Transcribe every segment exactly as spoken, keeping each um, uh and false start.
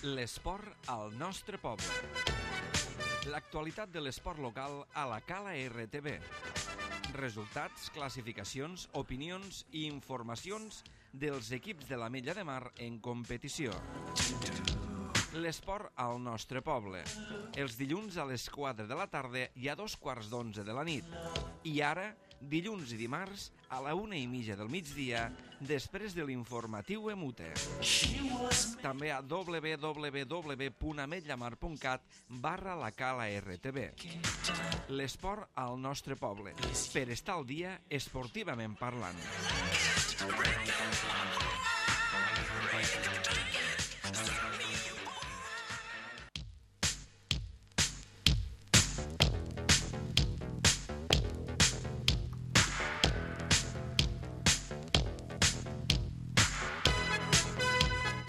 L'esport al nostre poble. L'actualitat de l'esport local a la Cala R T V. Resultats, classificacions, opinions i informacions dels equips de l'Ametlla de Mar en competició. L'esport al nostre poble. Els dilluns a les quatre de la tarda i a dos quarts d'onze de la nit. I ara, dilluns i dimarts, a la una i mitja del migdia, després de l'informatiu Emute. També a w w w punt ametllamar punt cat barra la Cala R T V. L'esport al nostre poble, per estar al dia esportivament parlant.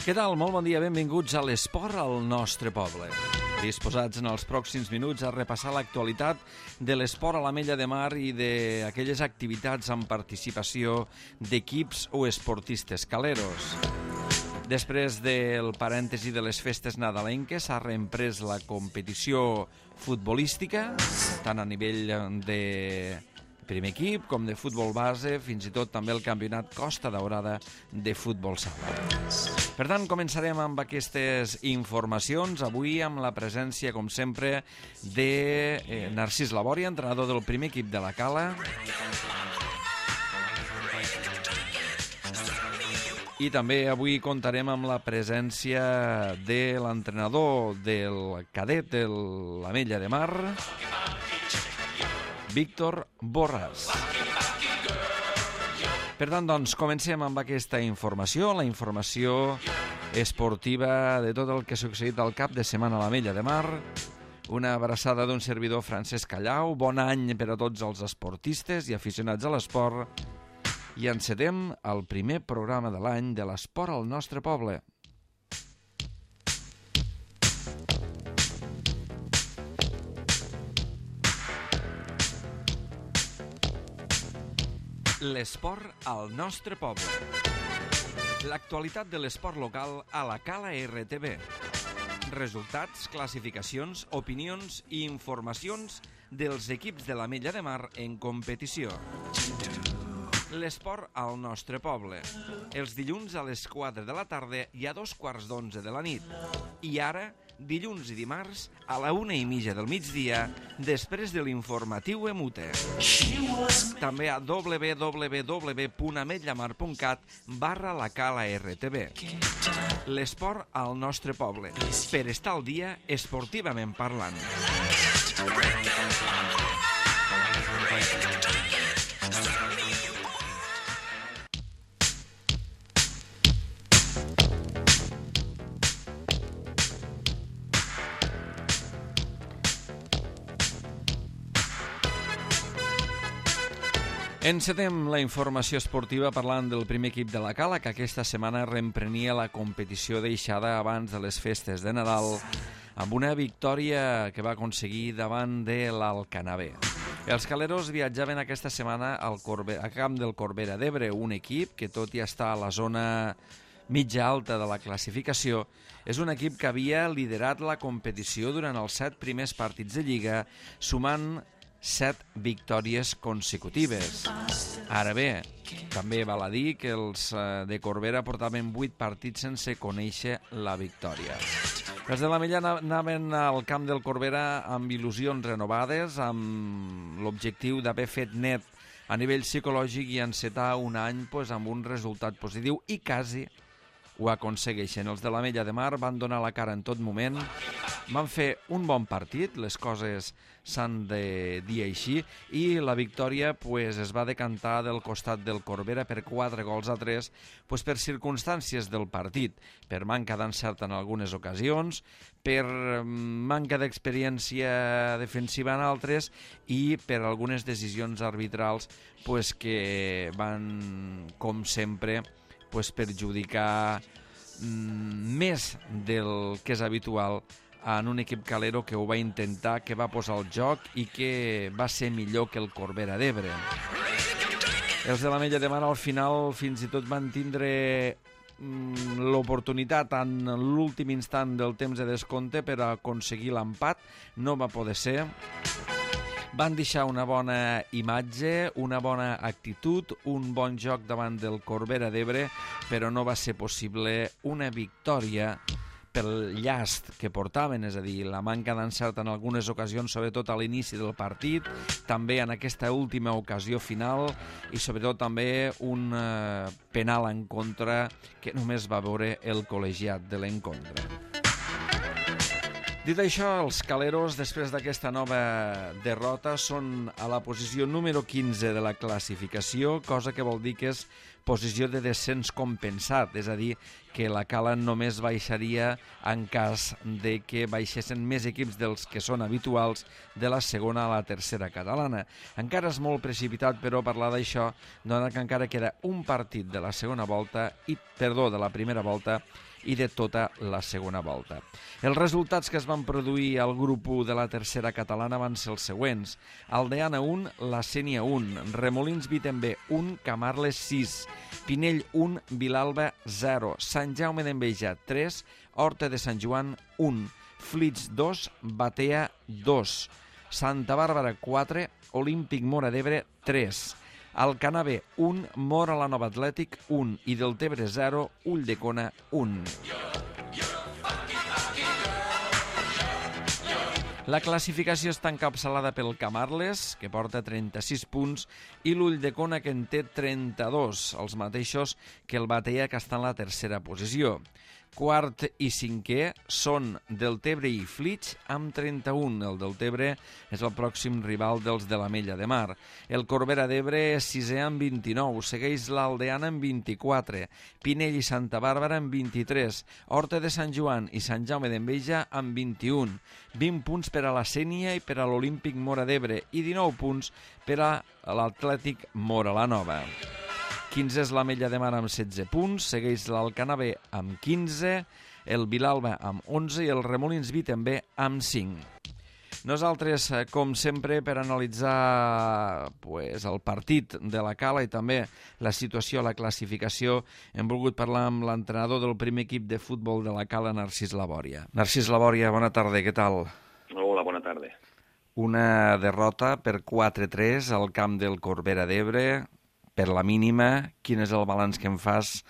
Què tal? Molt bon dia, benvinguts a l'esport al nostre poble. Disposats en els pròxims minuts a repassar l'actualitat de l'esport a l'Ametlla de Mar i d'aquelles activitats amb participació d'equips o esportistes caleros. Després del parèntesi de les festes nadalenques s'ha reemprès la competició futbolística, tant a nivell de primer equip com de futbol base, fins i tot també el campionat Costa Daurada de futbol sala. Per tant, començarem amb aquestes informacions, avui amb la presència, com sempre, de eh, Narcís Labòria, entrenador del primer equip de la Cala. I també avui comptarem amb la presència de l'entrenador del cadet de l'Ametlla de Mar, Víctor Borràs. Per tant, doncs, comencem amb aquesta informació, la informació esportiva de tot el que ha succeït al cap de setmana a l'Ametlla de Mar. Una abraçada d'un servidor, Francesc Callau. Bon any per a tots els esportistes i aficionats a l'esport. I encetem el primer programa de l'any de l'esport al nostre poble. L'esport al nostre poble. L'actualitat de l'esport local a la Cala R T V. Resultats, classificacions, opinions i informacions dels equips de l'Ametlla de Mar en competició. L'esport al nostre poble. Els dilluns a les quatre de la tarda i a dos quarts d'onze de la nit. I ara, dilluns i dimarts, a la una i mitja del migdia, després de l'informatiu Emute. També a w w w punt ametllamar punt cat barra la Cala R T V. L'esport al nostre poble, per estar al dia esportivament parlant. Encetem la informació esportiva parlant del primer equip de la Cala, que aquesta setmana reemprenia la competició deixada abans de les festes de Nadal, amb una victòria que va aconseguir davant de l'Alcanavè. Els caleros viatjaven aquesta setmana al Corbe, a camp del Corbera d'Ebre, un equip que, tot i estar a la zona mitja alta de la classificació, és un equip que havia liderat la competició durant els set primers partits de Lliga, sumant set victòries consecutives. Ara bé, també val a dir que els de Corbera portaven vuit partits sense conèixer la victòria. Els de l'Ametlla anaven al camp del Corbera amb il·lusions renovades, amb l'objectiu d'haver fet net a nivell psicològic i encetar un any pues, amb un resultat positiu, i quasi ho aconsegueixen. Els de l'Ametlla de Mar van donar la cara en tot moment, van fer un bon partit, les coses s'han de dir així, i la victòria pues, es va decantar del costat del Corbera per quatre gols a tres, pues, per circumstàncies del partit, per manca d'encert en algunes ocasions, per manca d'experiència defensiva en altres i per algunes decisions arbitrals pues, que van, com sempre, pues, perjudicar mm, més del que és habitual en un equip calero que ho va intentar, que va posar el joc i que va ser millor que el Corbera d'Ebre. Els de l'Ametlla de Mar al final fins i tot van tindre l'oportunitat en l'últim instant del temps de descompte per aconseguir l'empat. No va poder ser. Van deixar una bona imatge, una bona actitud, un bon joc davant del Corbera d'Ebre, però no va ser possible una victòria pel llast que portaven, és a dir, la manca d'encert en algunes ocasions, sobretot a l'inici del partit, també en aquesta última ocasió final i sobretot també un eh, penal en contra que només va veure el col·legiat de l'encontre. Dit això, els caleros, després d'aquesta nova derrota, són a la posició número quinze de la classificació, cosa que vol dir que és posició de descens compensat, és a dir, que la Cala només baixaria en cas de que baixessin més equips dels que són habituals de la segona a la tercera catalana. Encara és molt precipitat, però, parlar d'això, dona que encara queda un partit de la segona volta, i perdó, de la primera volta, i de tota la segona volta. Els resultats que es van produir al grup u de la tercera catalana van ser els següents. Aldeana un, La Sénia un, Remolins Vitember un, Camarles sis, Pinell un, Vilalba zero, Sant Jaume d'Enveja tres, Horta de Sant Joan un, Flix dos, Batea dos, Santa Bàrbara quatre, Olímpic Móra d'Ebre tres, Alcanar B un, Móra la Nova Atlètic un i Deltebre zero, Ulldecona un. La classificació està encapçalada pel Camarles, que porta trenta-sis punts, i l'Ulldecona, que en té trenta-dos, els mateixos que el Batea, que està en la tercera posició. Quart i cinquè són Deltebre i Flix amb trenta-un. El Deltebre és el pròxim rival dels de l'Ametlla de Mar. El Corbera d'Ebre és sisè amb vint-i-nou, segueix l'Aldeana amb vint-i-quatre, Pinell i Santa Bàrbara amb vint-i-tres, Horta de Sant Joan i Sant Jaume d'Enveja amb vint-i-un, vint punts per a la Sénia i per a l'Olímpic Móra d'Ebre i dinou punts per a l'Atlètic Móra la Nova. quinze és l'Ametlla de Mar amb setze punts, segueix l'Alcanar B amb quinze, el Vilalba amb onze i el Remolins Vitember amb cinc. Nosaltres, com sempre, per analitzar pues, el partit de la Cala i també la situació a la classificació, hem volgut parlar amb l'entrenador del primer equip de futbol de la Cala, Narcís Labòria. Narcís Labòria, bona tarda, què tal? Hola, bona tarda. Una derrota per quatre tres al camp del Corbera d'Ebre, per la mínima. Quin és el balanç que em fas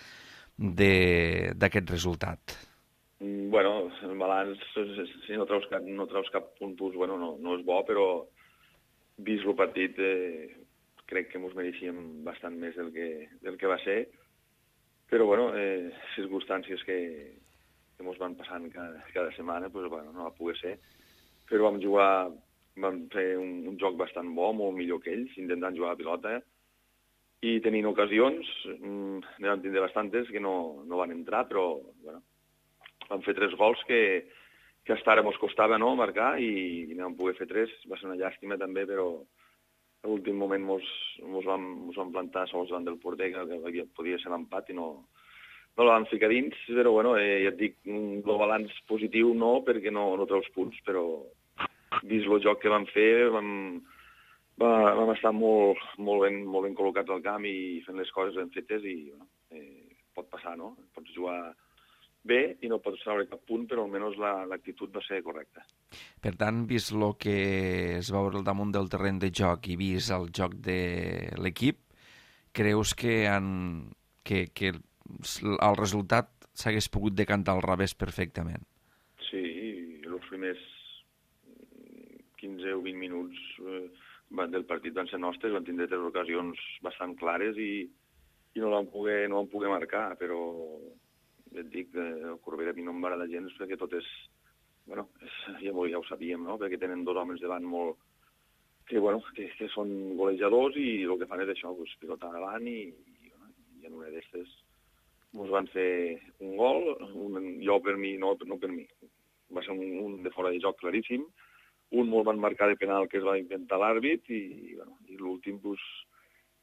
d'aquest resultat? Bueno, el balanç, si no treus cap, no treus cap punt, pues, bueno, no, no és bo, però vist el partit eh, crec que ens mereixíem bastant més del que, del que va ser, però bueno, eh, circumstàncies que, que ens van passant cada, cada setmana, pues, bueno, no va poder ser, però vam jugar, vam fer un, un joc bastant bo, molt millor que ells, intentant jugar a pilota, i tenint ocasions, mmm, ne vam tindre bastantes que no, no van entrar, però bueno, vam fer tres gols que, que hasta ara ens costava no, marcar i, i no vam poder fer tres. Va ser una llàstima també, però a l'últim moment ens vam, vam plantar sols davant del porter, que podia ser l'empat i no, no la vam ficar dins, però bueno, eh, ja et dic, el balanç positiu no, perquè no, no treus punts, però vist el joc que vam fer, vam... Va, vam estar molt, molt, ben, molt ben col·locats al camp i fent les coses ben fetes i bueno, eh, pot passar, no? Pots jugar bé i no pots treure cap punt, però almenys l'actitud va ser correcta. Per tant, vist el que es va veure al damunt del terreny de joc i vist el joc de l'equip, creus que, han, que, que el resultat s'hagués pogut decantar al revés perfectament? Sí, els primers quinze o vint minuts... Eh, del partit van ser nostres, van tindre tres ocasions bastant clares i, i no vam poder, no vam poder marcar, però et dic, el Corbera a mi no em va agradar gens perquè tot és, bueno, és, ja, ja ho sabíem, no? Perquè tenen dos homes davant molt, que, bueno, que, que són golejadors i el que fan és això, pues, pilotar davant i, i, i en una d'estes ens van fer un gol, un, jo per mi, no, no per mi, va ser un, un de fora de joc claríssim. Un molt van marcar de penal que es va inventar l'àrbit i, bueno, i l'últim pues,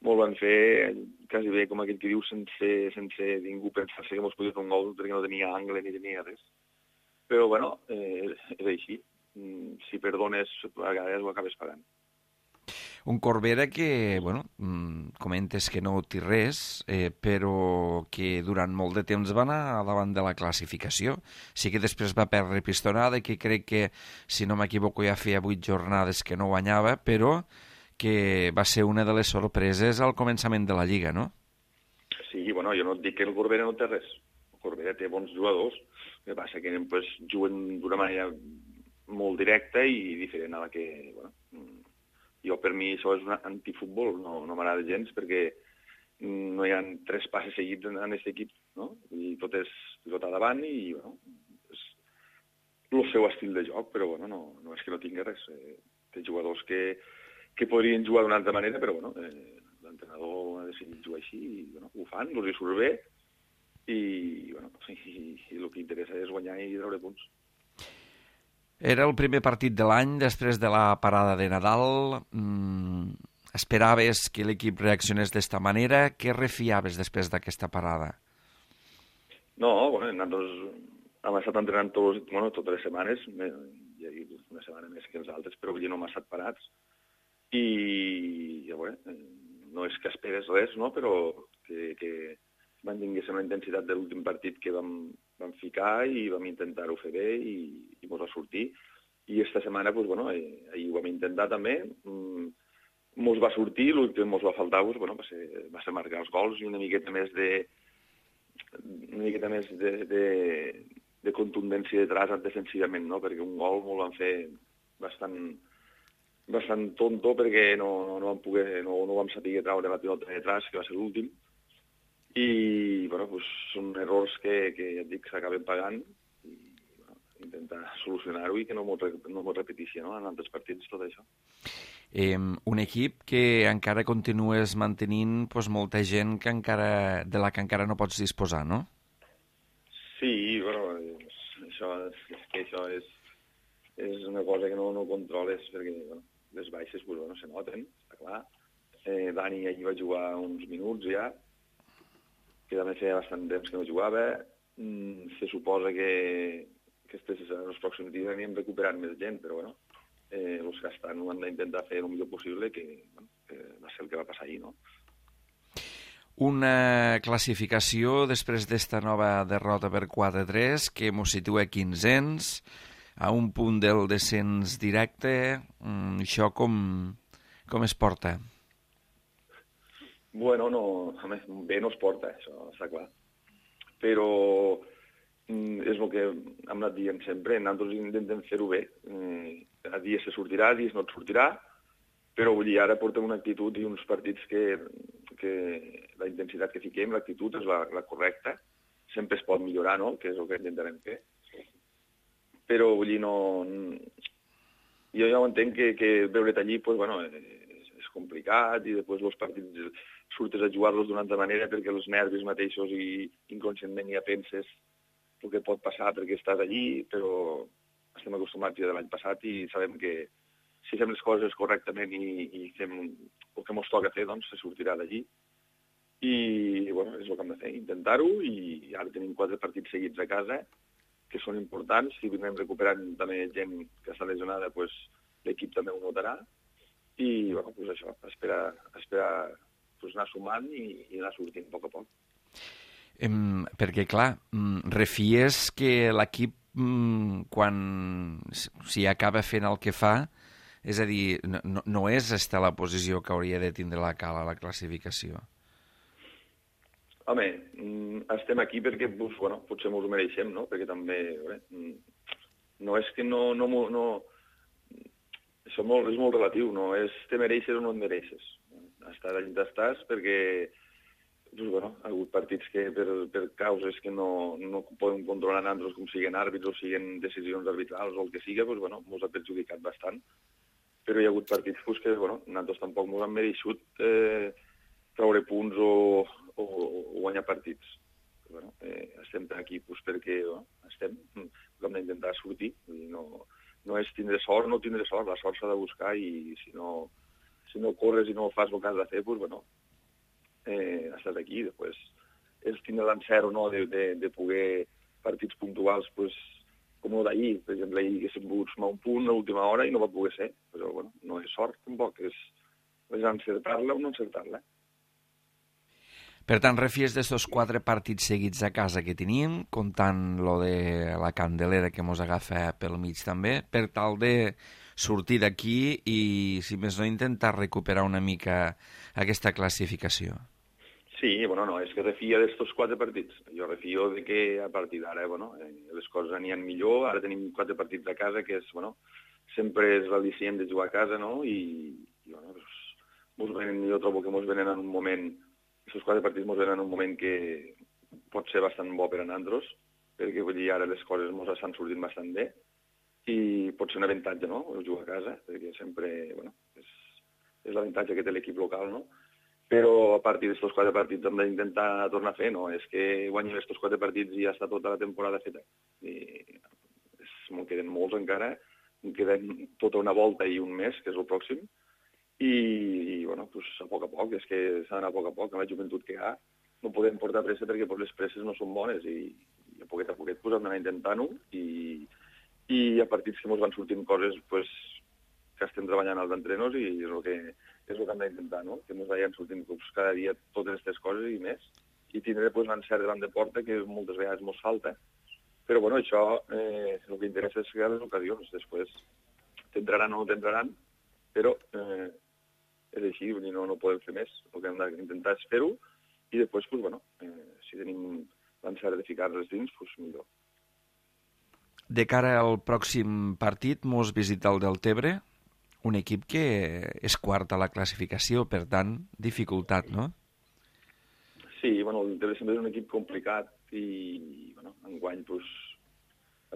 molt van fer quasi bé, com aquell que diu, sense, sense ningú pensar-se que ens podia fer un gol perquè no tenia angle ni tenia res. Però, bueno, eh, és així. Si perdones, a vegades ho acabes pagant. Un Corbera que, bueno, comentes que no té res, eh, però que durant molt de temps va anar davant de la classificació. Sí que després va perdre pistonada, que crec que, si no m'equivoco, ja feia vuit jornades que no guanyava, però que va ser una de les sorpreses al començament de la Lliga, no? Sí, bueno, jo no et dic que el Corbera no té res. El Corbera té bons jugadors, el que passa que pues, juguen d'una manera molt directa i diferent a la que... Bueno, jo, per mi, això és un antifutbol, no, no m'agrada gens, perquè no hi ha tres passes seguits en aquest equip, no? I tot és pilota davant i, bueno, és el seu estil de joc, però, bueno, no, no és que no tingui res. Eh, té jugadors que, que podrien jugar d'una altra manera, però, bueno, eh, l'entrenador ha decidit jugar així i, bueno, ho fan, els hi surt bé i, bueno, i, i el que interessa és guanyar i treure punts. Era el primer partit de l'any després de la parada de Nadal. Mm, esperaves que l'equip reaccionés d'esta manera? Què refiaves després d'aquesta parada? No, bueno, nosaltres hem estat entrenant tots, bueno, totes les setmanes, hi ha hagut una setmana més que els altres, però no hem estat parats. I, ja, bueno, no és que esperes res, no? Però que, que mantinguéssim la intensitat de l'últim partit que vam, vam ficar i vam intentar-ho fer bé i, i mos va sortir. I esta setmana, pues, bueno, eh, ahir ho vam intentar també, mm, mos va sortir, el que mos va faltar pues, bueno, va, ser, va ser marcar els gols i una miqueta més de una miqueta més de, de, de contundència detrás defensivament, no? Perquè un gol mos van fer bastant, bastant tonto perquè no, no, no, vam poder, no, no vam saber traure la pilota detrás, que va ser l'últim. I, bueno, pues, són errors que, que ja et dic, s'acaben pagant i, bueno, intentar solucionar-ho i que no m'ho no repeteixi, no?, en altres partits, tot això. Eh, un equip que encara continues mantenint pues, molta gent que encara, de la que encara no pots disposar, no? Sí, bueno, això, és que això és, és una cosa que no, no controles perquè, bueno, les baixes pues, bueno, se noten, està clar. Eh, Dani allí va jugar uns minuts ja, que també feia bastant temps que no jugava. Mm, se suposa que, que estes, en els pròxims dies anirem recuperant més gent, però bueno, eh, els que estan ho han d'intentar fer el millor possible, que, bueno, que va ser el que va passar ahir, no? Una classificació després d'esta nova derrota per quatre a tres que mos situa quinzens, a un punt del descens directe. Mm, això com, com es porta? Bueno, no, a més, bé no es porta, això està clar. Però mm, és el que hem anat dient sempre, nosaltres intentem fer-ho bé. Mm, a dies se sortirà, a dies no et sortirà, però vull dir, ara portem una actitud i uns partits que, que la intensitat que fiquem, l'actitud és la, la correcta. Sempre es pot millorar, no?, que és el que intentarem fer. Però vull dir, no... Jo ja ho entenc que, que veure't allí, pues, bueno, és, és complicat i després els partits surtes a jugar-los d'una altra manera perquè els nervis mateixos i inconscientment ja penses el que pot passar perquè estàs allí, però estem acostumats ja de l'any passat i sabem que si fem les coses correctament i, i fem el que ens toca fer, doncs se sortirà d'allí. I, bueno, és el que hem de fer, intentar-ho, i ara tenim quatre partits seguits a casa, que són importants. Si anem recuperant també gent que està lesionada, pues, l'equip també ho notarà. I, bueno, pues això, esperar, esperar pues, anar sumant i, i anar sortint a poc a poc. Um, perquè, clar, um, refies que l'equip, um, quan si acaba fent el que fa, és a dir, no, no és esta la posició que hauria de tindre la Cala a la classificació? Home, estem aquí perquè pues, bueno, potser ens ho mereixem, no? Perquè també, bé, no és que no... no, no això molt, és molt relatiu, no és te mereixes o no et mereixes. Estar allà on estàs perquè pues, bueno, ha hagut partits que per, per causes que no, no podem controlar nosaltres, com siguin àrbits o siguin decisions arbitrals o el que sigui, pues, bueno, ens ha perjudicat bastant. Però hi ha hagut partits pues, que bueno, nosaltres tampoc ens han mereixut eh, treure punts o, o, o guanyar partits. Però, bueno, eh, estem aquí pues, perquè bueno, estem, hem d'intentar sortir. Vull dir, no, no és tindre sort, no tindre sort, la sort s'ha de buscar i si no, si no corres i no fas el que has de fer, pues, bueno, eh, estàs aquí. Després és tindre l'encert o no de, de, de poder partits puntuals, pues, com el d'ahir. Per exemple, ahir haguéssim pogut sumar un punt a l'última hora i no va poder ser. Però, bueno, no és sort, tampoc. És, és encertar-la o no encertar-la. Per tant, refies d'estos quatre partits seguits a casa que teníem, comptant lo de la Candelera que mos agafa pel mig també, per tal de sortir d'aquí i, si més no, intentar recuperar una mica aquesta classificació. Sí, bueno, no, és que refia d'estos quatre partits. Jo refio de que a partir d'ara, bueno, les coses aniran millor. Ara tenim quatre partits a casa, que és, bueno, sempre és l'al·licient de jugar a casa, no? I, i bueno, doncs, mos venen, jo trobo que mos venen en un moment, aquests quatre partits mos venen en un moment que pot ser bastant bo per a nosaltres, perquè vull dir, ara les coses mos estan sortint bastant bé, i pot ser un avantatge, no?, jugar a casa, perquè sempre, bueno, és, és l'avantatge que té l'equip local, no? Però a partir d'aquests quatre partits hem d'intentar tornar a fer, no? És que guanyem aquests quatre partits i ja està tota la temporada feta. I és, me'n queden molts encara, em queden tota una volta i un mes, que és el pròxim, i, i bueno, pues, a poc a poc, és que s'ha d'anar a poc a poc, amb la joventut que hi ha, no podem portar pressa perquè pues, les presses no són bones i, i a poquet a poquet pues, hem d'anar intentant-ho i, i a partits que ens van sortint coses pues, que estem treballant als entrenos i és el que, és el que hem d'intentar, no? Que ens vagin sortint pues, cada dia totes aquestes coses i més i tindre pues, l'encert davant de porta que moltes vegades ens falta. Però bueno, això eh, el que interessa és crear les ocasions. Després t'entraran o no t'entraran, però eh, és així, vull dir, no, no podem fer més. El que hem d'intentar és fer-ho i després, pues, bueno, eh, si tenim l'encert de ficar-les dins, pues, millor. De cara al pròxim partit, mos visita el Deltebre, un equip que és quart a la classificació, per tant, dificultat, no? Sí, bueno, el Deltebre sempre és un equip complicat i, bueno, enguany, pues,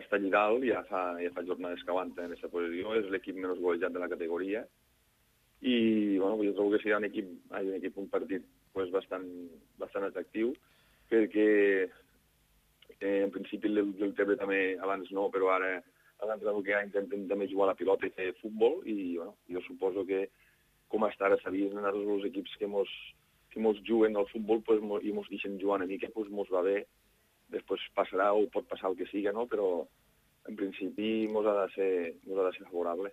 està allà dalt, ja fa, ja fa jornades que aguanta en aquesta posició, és l'equip menys golejat de la categoria i, bueno, jo trobo que serà un equip, ai, un equip, un partit pues, bastant, bastant atractiu, perquè eh, en principi el Deltebre també abans no, però ara l'entrenador que ha intenten també jugar a la pilota i fer futbol i bueno, jo suposo que com està ara sabien els equips que mos, que mos juguen al futbol pues, mos, i mos deixen jugar una mica, pues, mos va bé. Després passarà o pot passar el que siga, no? Però en principi mos ha de ser, mos ha de ser favorable.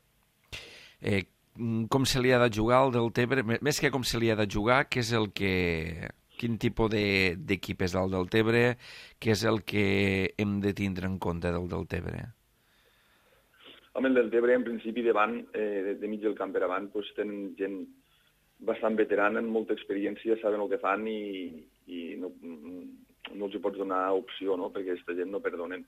Eh, com se li ha de jugar al Deltebre? Més que com se li ha de jugar, què és el que... quin tipus d'equip és el Deltebre? Què és el que hem de tindre en compte del Deltebre? Home, el Deltebre, en principi, davant, eh, de, de mig del camp per avant, pues, tenen gent bastant veterana, amb molta experiència, saben el que fan i, i no, no els hi pots donar opció, no?, perquè aquesta gent no perdonen.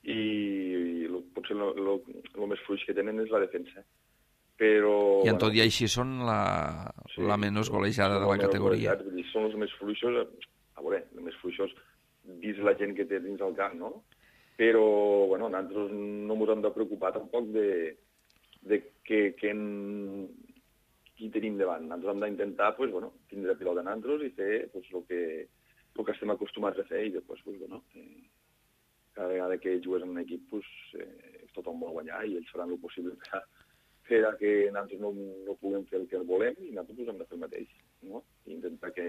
I, i lo, potser el més fluix que tenen és la defensa. Però, I en tot bueno, i així són la, sí, la menys golejada de la categoria. Golejats, són els més fluixos, a veure, els més fluixos vist la gent que té dins el camp, no? Però, bueno, nosaltres no ens hem de preocupar tampoc de, de que, que en, qui tenim davant. Nosaltres hem d'intentar, pues, bueno, tindre pilota a nosaltres i fer pues, el, que, el que estem acostumats a fer i després, pues, bueno, eh, cada vegada que jugues en un equip, pues, eh, tothom vol guanyar i ells faran el possible per a, per a que nosaltres no, no puguem fer el que volem i nosaltres pues, hem de fer el mateix, no? I intentar que,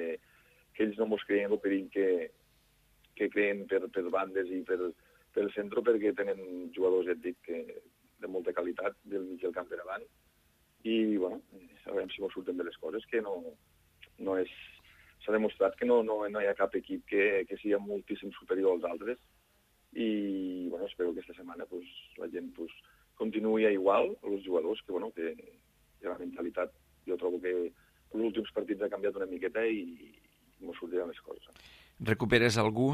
que ells no ens creien el perill que, que creen per, per bandes i per, per centre, perquè tenen jugadors, ja et dic, que, de molta qualitat del mig del camp per avant i, bueno, a veure si mos surten de les coses, que no, no és... S'ha demostrat que no, no, no hi ha cap equip que, que sigui moltíssim superior als altres i, bueno, espero que aquesta setmana pues, la gent pues, continuï a igual, els jugadors, que, bueno, que, que la mentalitat, jo trobo que els últims partits ha canviat una miqueta i, i mos sortiran les coses. Recuperes algú?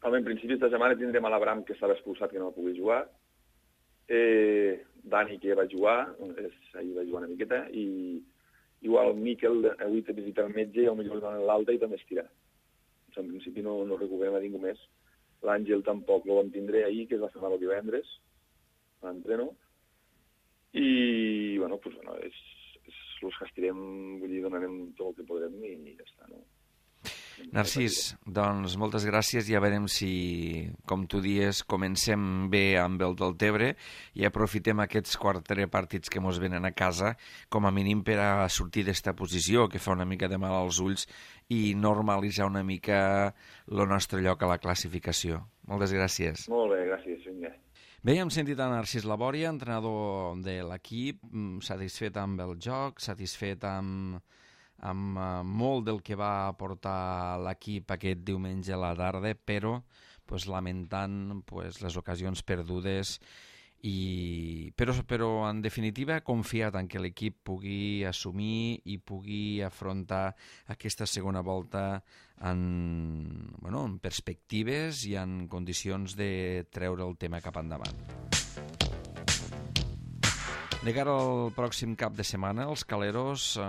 Home, en principi, aquesta setmana tindrem a l'Abram, que estava expulsat, que no va poder jugar. Eh, Dani, que va jugar, és, ahir va jugar una miqueta, i igual Miquel avui té visita al metge i potser li donen l'alta i també estirà. En principi no, no recuperem a ningú més. L'Àngel tampoc no vam tindre ahir, que es va fer mal el divendres, a l'entreno. I, bueno, pues, bueno, és, és els que estirem, vull dir, donarem tot el que podrem i ja està, no? Narcís, doncs moltes gràcies. Ja veurem si, com tu dies, comencem bé amb el Deltebre i aprofitem aquests quatre partits que mos venen a casa com a mínim per a sortir d'esta posició que fa una mica de mal als ulls i normalitzar una mica el nostre lloc a la classificació. Moltes gràcies. Molt bé, gràcies. Vinga. Bé, hem sentit a Narcís Labòria, entrenador de l'equip, satisfet amb el joc, satisfet amb, amb uh, molt del que va aportar l'equip aquest diumenge a la tarda, però pues, lamentant pues, les ocasions perdudes. I, però, però en definitiva confiat en que l'equip pugui assumir i pugui afrontar aquesta segona volta en, bueno, en perspectives i en condicions de treure el tema cap endavant. De cara al pròxim cap de setmana, els Caleros eh,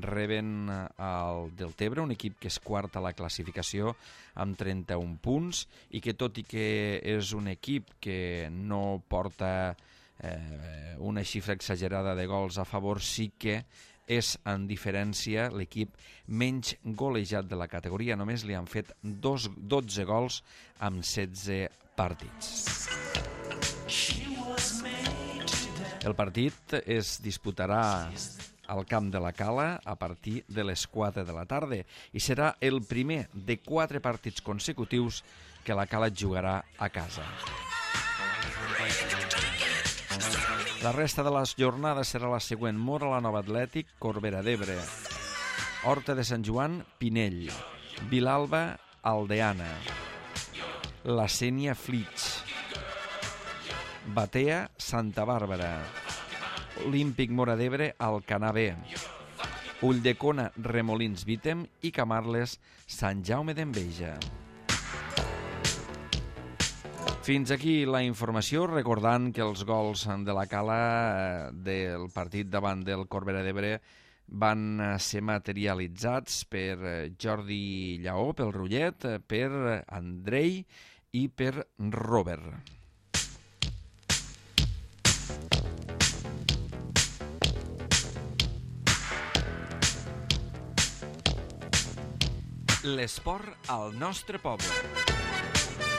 reben el Deltebre, un equip que és quart a la classificació amb trenta-un punts i que tot i que és un equip que no porta eh, una xifra exagerada de gols a favor, sí que és en diferència l'equip menys golejat de la categoria. Només li han fet dos, dotze gols amb setze partits. El partit es disputarà al camp de la Cala a partir de les quatre de la tarda i serà el primer de quatre partits consecutius que la Cala jugarà a casa. La resta de les jornades serà la següent: Móra la Nova Atlètic, Corbera d'Ebre, Horta de Sant Joan, Pinell, Vilalba, Aldeana, La Sénia, Flix, Batea, Santa Bàrbara, Olímpic Móra d'Ebre, Alcanar B, Ulldecona, Remolins, Vítem i Camarles, Sant Jaume d'Enveja. Fins aquí la informació, recordant que els gols de la Cala del partit davant del Corbera d'Ebre van ser materialitzats per Jordi Lleó, pel Rullet, per Andrei i per Robert. L'esport al nostre poble.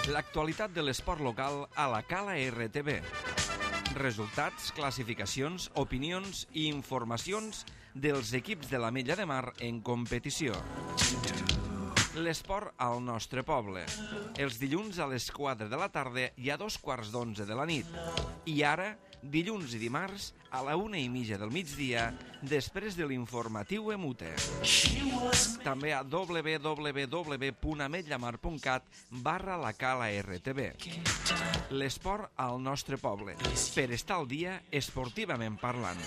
L'actualitat de l'esport local a la Cala R T B. Resultats, classificacions, opinions i informacions dels equips de l'Ametlla de Mar en competició. L'esport al nostre poble. Els dilluns a les quatre de la tarda i a dos quarts d'onze de la nit. I ara, dilluns i dimarts, a la una i mitja del migdia, després de l'informatiu Emute. També a w w w punt ametllamar punt cat barra la Cala R T B. L'esport al nostre poble. Per estar al dia, esportivament parlant.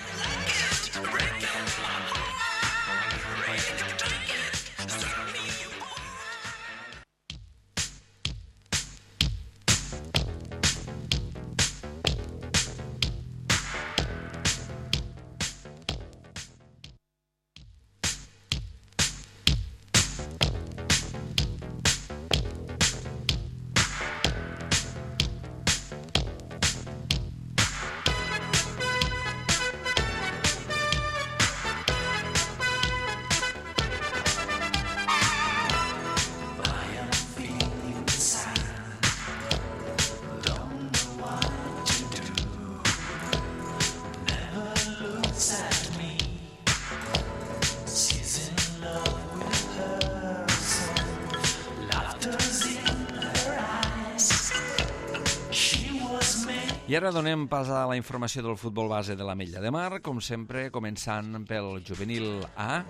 I ara donem pas a la informació del futbol base de l'Ametlla de Mar, com sempre, començant pel juvenil A.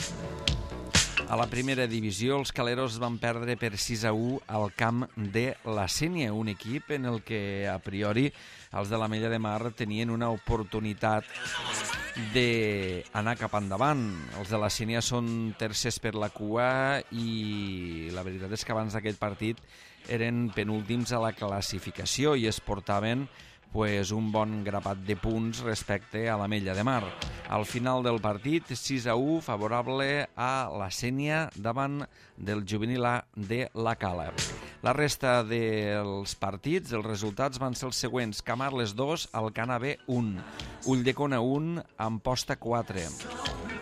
A la primera divisió, els Caleros van perdre per sis a u al camp de la Sénia, un equip en el que, a priori, els de l'Ametlla de Mar tenien una oportunitat d'anar cap endavant. Els de la Sénia són tercers per la cua i la veritat és que abans d'aquest partit eren penúltims a la classificació i es portaven pues, un bon grapat de punts respecte a l'Ametlla de Mar. Al final del partit, sis a u, favorable a la Sénia davant del juvenil A de la Cala. La resta dels partits, els resultats van ser els següents: Camarles dos, Alcanar B un, Ulldecona un, Amposta quatre,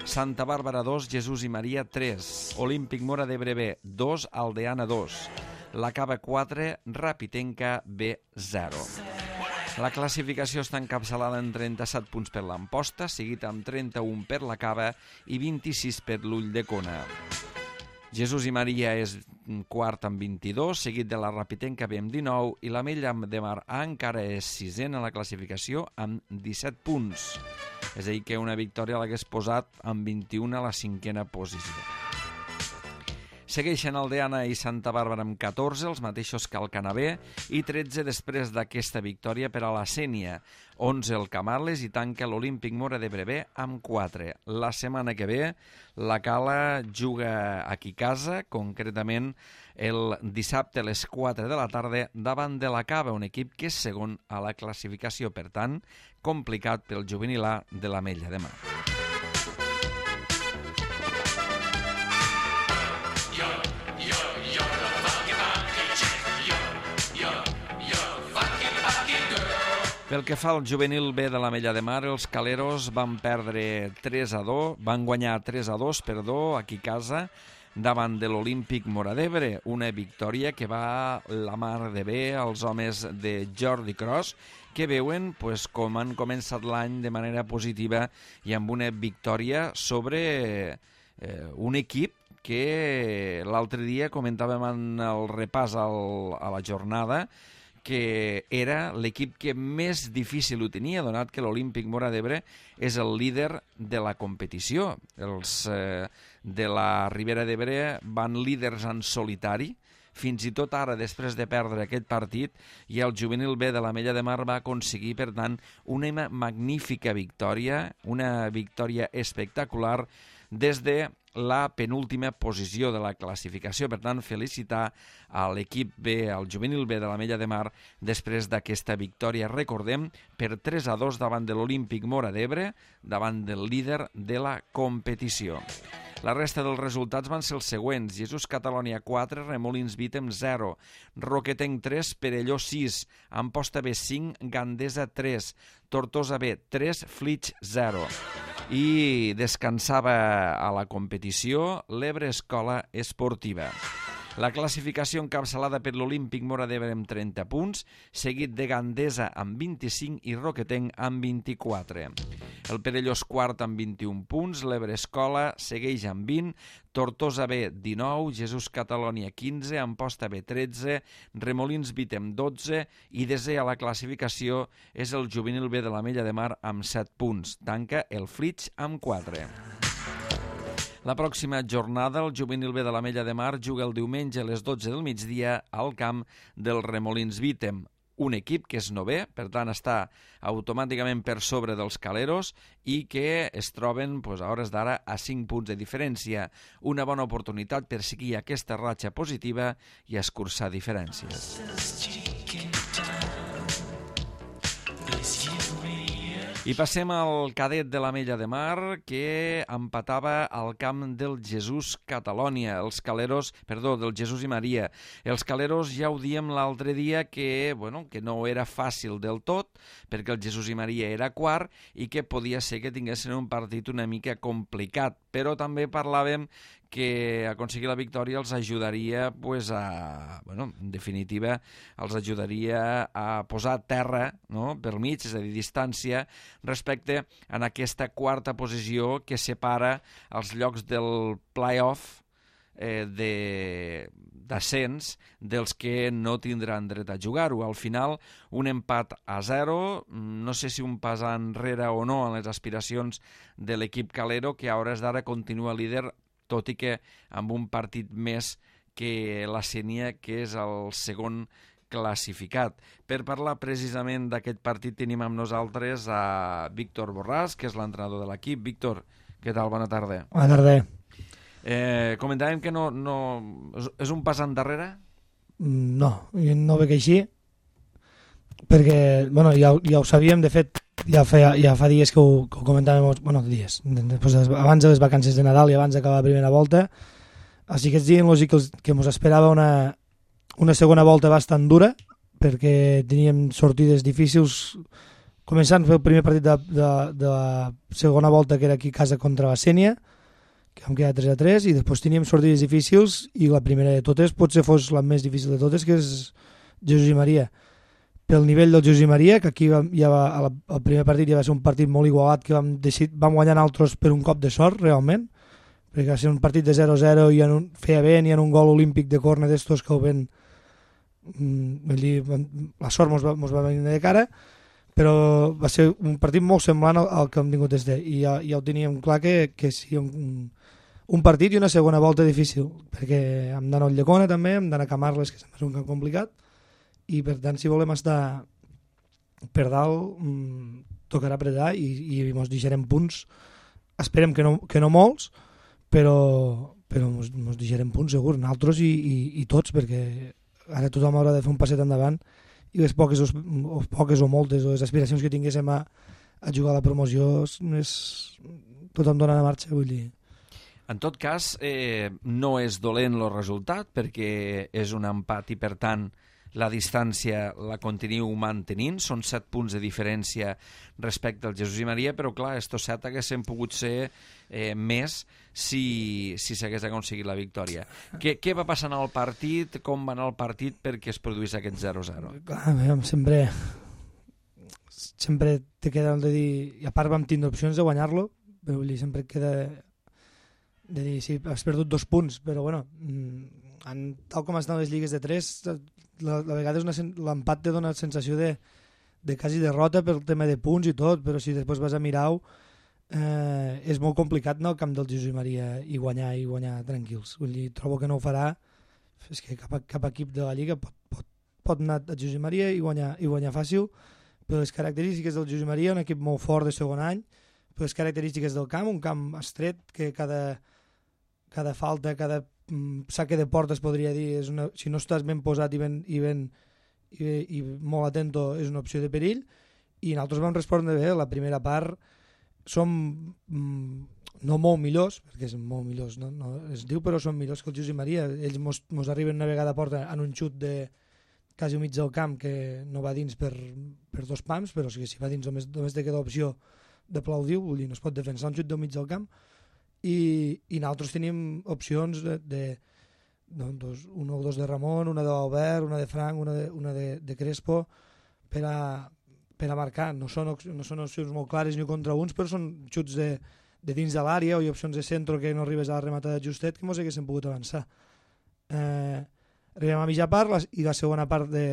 Santa Bàrbara dos, Jesús i Maria tres, Olímpic Móra d'Ebre B dos, Aldeana dos, La Cava quatre, Rapitenca B zero. La classificació està encapçalada en trenta-set punts per l'Amposta, seguit amb trenta-un per la Cava i vint-i-sis per l'Ulldecona. Jesús i Maria és quart amb vint-i-dos, seguit de la Rapitenca B amb dinou, i l'Ametlla de Mar A encara és sisena a la classificació amb disset punts. És a dir, que una victòria l'hagués posat amb vint-i-un a la cinquena posició. Segueixen Aldeana i Santa Bàrbara amb catorze, els mateixos que el Canabé, i tretze després d'aquesta victòria per a la Sénia. onze el Camarles i tanca l'Olímpic Móra d'Ebre B amb quatre. La setmana que ve la Cala juga aquí a casa, concretament el dissabte a les quatre de la tarda davant de la Cava, un equip que és segon a la classificació, per tant, complicat pel juvenil A de l'Ametlla de Mar. Pel que fa al juvenil B de l'Ametlla de Mar, els caleros van perdre tres a dos, van guanyar tres a dos, perdó, aquí a casa, davant de l'Olímpic Móra d'Ebre, una victòria que va la mar de bé als homes de Jordi Cros, que veuen pues, com han començat l'any de manera positiva i amb una victòria sobre eh, un equip que l'altre dia comentàvem en el repàs al, a la jornada, que era l'equip que més difícil ho tenia, donat que l'Olímpic Móra d'Ebre és el líder de la competició. Els eh, de la Ribera d'Ebre van líders en solitari, fins i tot ara, després de perdre aquest partit, i el juvenil B de l'Ametlla de Mar va aconseguir, per tant, una magnífica victòria, una victòria espectacular des de la penúltima posició de la classificació. Per tant, felicitar a l'equip B, al juvenil B de l'Ametlla de Mar, després d'aquesta victòria, recordem, per tres a dos davant de l'Olímpic Móra d'Ebre, davant del líder de la competició. La resta dels resultats van ser els següents: Jesús Catalònia quatre, Remolins Vítem zero, Roquetenc tres, Perelló sis, Amposta B cinc, Gandesa tres, Tortosa B tres, Flix zero. I descansava a la competició l'Ebre Escola Esportiva. La classificació encapçalada per l'Olímpic Móra d'Ebre amb trenta punts, seguit de Gandesa amb vint-i-cinc i Roquetenc amb vint-i-quatre. El Perellós quart amb vint-i-un punts, l'Ebre Escola segueix amb vint, Tortosa B dinou, Jesús Catalònia quinze, Amposta B tretze, Remolins Vítem dotze i desè a la classificació és el juvenil B de l'Ametlla de Mar amb set punts. Tanca el Flix amb quatre. La pròxima jornada, el juvenil B de l'Ametlla de Mar juga el diumenge a les dotze del migdia al camp del Remolins Vítem, un equip que és novè, per tant està automàticament per sobre dels caleros i que es troben pues, a hores d'ara a cinc punts de diferència. Una bona oportunitat per seguir aquesta ratxa positiva i escurçar diferències. I passem al cadet de l'Ametlla de Mar, que empatava al camp del Jesús Catalònia, els caleros, perdó, del Jesús i Maria. Els caleros ja ho diem l'altre dia que, bueno, que no era fàcil del tot, perquè el Jesús i Maria era quart i que podia ser que tinguessin un partit una mica complicat, però també parlàvem que aconseguir la victòria els ajudaria, pues, a, bueno, en definitiva, els ajudaria a posar terra, no?, pel mig, és a dir, distància, respecte a aquesta quarta posició que separa els llocs del play-off eh, de d'ascens dels que no tindran dret a jugar-ho. Al final, un empat a zero, no sé si un pas enrere o no en les aspiracions de l'equip calero, que a hores d'ara continua líder, tot i que amb un partit més que la Sénia, que és el segon classificat. Per parlar precisament d'aquest partit tenim amb nosaltres a Víctor Borràs, que és l'entrenador de l'equip. Víctor, què tal? Bona tarda. Bona tarda. Eh, comentàvem que no, no... és un pas endarrere? No, jo no ho veig així, perquè bueno, ja, ja ho sabíem, de fet, ja fa, ja fa dies que ho, que ho comentàvem, bueno, dies, després, abans de les vacances de Nadal i abans d'acabar la primera volta, així que és dient lògic que, que ens esperava una, una segona volta bastant dura, perquè teníem sortides difícils, començant a fer el primer partit de, de, de la segona volta, que era aquí a casa contra la Sénia, que vam quedar tres a tres, i després teníem sortides difícils, i la primera de totes potser fos la més difícil de totes, que és Jesús i Maria. Pel nivell del Jesús i Maria, que aquí vam, ja va, el primer partit ja va ser un partit molt igualat, que vam, decidir, vam guanyar altres per un cop de sort, realment, perquè va ser un partit de zero a zero i en un, feia vent i en un gol olímpic de córner d'estos que el vent, mm, dir, la sort mos va, mos va venir de cara, però va ser un partit molt semblant al, al que hem tingut des de, i ja, ja ho teníem clar que, que sí, un, un partit i una segona volta difícil, perquè hem d'anar a Llecona també, hem d'anar a Camarles, que és un camp complicat, i per tant si volem estar per dalt mmm, tocarà apretar i, i ens deixarem punts, esperem que no, que no molts, però, però ens, ens deixarem punts segur, nosaltres i, i, i tots, perquè ara tothom haurà de fer un passet endavant i les poques o, o poques o moltes o les aspiracions que tinguéssim a, a jugar a la promoció és, tothom dona la marxa, vull dir. En tot cas, eh, no és dolent el resultat perquè és un empat i, per tant, la distància la continuïu mantenint. Són set punts de diferència respecte al Jesús i Maria, però, clar, estos set haguessin pogut ser eh, més si si s'hagués aconseguit la victòria. Què, què va passar en el partit? Com va anar el partit perquè es produís aquest zero a zero? Clar, sempre, sempre te queda el de dir... I a part vam tindre opcions de guanyar-lo, però vull dir, sempre queda... de dir, sí, has perdut dos punts, però bueno, en, tal com estan les lligues de tres, la, la vegada l'empat te dona la sensació de, de quasi derrota pel tema de punts i tot, però si després vas a mirar-ho, eh, és molt complicat anar al camp del Jesús i Maria i guanyar i guanyar tranquils. Vull dir, trobo que no ho farà, és que cap, cap equip de la Lliga pot, pot, pot anar al Jesús i Maria i guanyar, i guanyar fàcil, però les característiques del Jesús i Maria, un equip molt fort de segon any, però les característiques del camp, un camp estret que cada... cada falta, cada mm, saque de porta es podria dir, és una, si no estàs ben posat i, ben, i, ben, i, i molt atento és una opció de perill, i nosaltres vam respondre bé. La primera part som mm, no molt millors, perquè són molt millors, no? No, es diu, però són millors que el Jesús i Maria. Ells mos, mos arriben una vegada a porta en un xut de quasi al mig del camp que no va dins per, per dos pams, però si va dins només, només te queda opció d'aplaudir, vull dir, no es pot defensar un xut del mig del camp. I, i nosaltres tenim opcions de, de, de dos, una o dos de Ramon, una d'Albert, una de Frank, una de, una de, de Crespo per a, per a marcar. No són, no són opcions molt clares ni contra uns, però són xuts de, de dins de l'àrea o hi ha opcions de centre que no arribes a la rematada justet que mos haguéssim pogut avançar. Eh, arribem a mitja part les, i la segona part de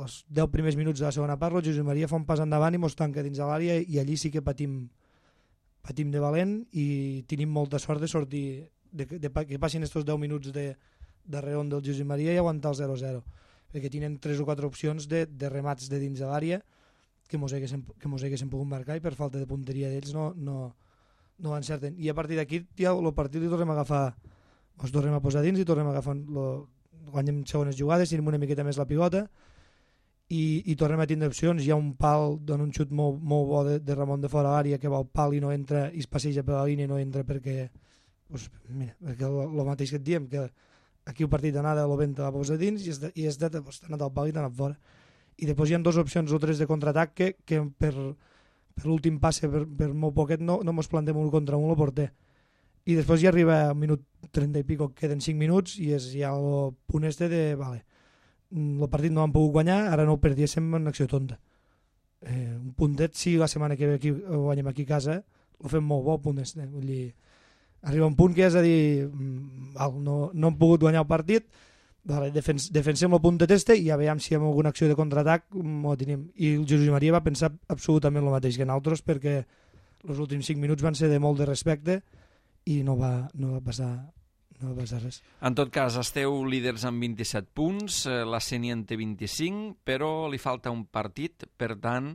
els deu primers minuts de la segona part el Josep Maria fa un pas endavant i mos tanca dins de l'àrea i allí sí que patim patim de valent i tenim molta sort de sortir, de, de, de que passin estos deu minuts de, de reon del Josep Maria i aguantar el zero a zero, perquè tenen tres o quatre opcions de, de remats de dins de l'àrea que mos haguessin, que mos haguessin pogut marcar i per falta de punteria d'ells no, no, no encerten. I a partir d'aquí ja el partit li tornem a agafar, ens tornem a posar dins i tornem a agafar, lo, guanyem segones jugades, tenim una miqueta més la pivota I, i tornem a tindre opcions. Hi ha un pal, dona un xut molt, molt bo de, de Ramon de fora l'àrea que va al pal i no entra i es passeja per la línia i no entra perquè pues, mira, perquè el mateix que et diem, que aquí el partit d'anada el vent la posa dins i és de, i és de pues, t'ha anat al pal i t'ha anat fora. I després hi ha dues opcions o tres de contraatac que, que per, per l'últim passe, per, per molt poquet, no, no mos plantem un contra un el porter. I després ja arriba al minut trenta i pico, queden cinc minuts i és ja el punt este de, vale, el partit no han pogut guanyar, ara no ho perdiéssim en acció tonta. Eh, un puntet, si la setmana que ve aquí, ho guanyem aquí a casa, ho fem molt bo, puntet. Eh? Vull dir, arriba un punt que és a dir, val, no, no hem pogut guanyar el partit, vale, defens, defensem el puntet este i ja veiem si hi ha alguna acció de contraatac, ho tenim. I el Jesús Maria va pensar absolutament el mateix que nosaltres, perquè els últims cinc minuts van ser de molt de respecte i no va, no va passar no va passar res. En tot cas, esteu líders amb vint-i-set punts, la Sénia en té vint-i-cinc, però li falta un partit, per tant,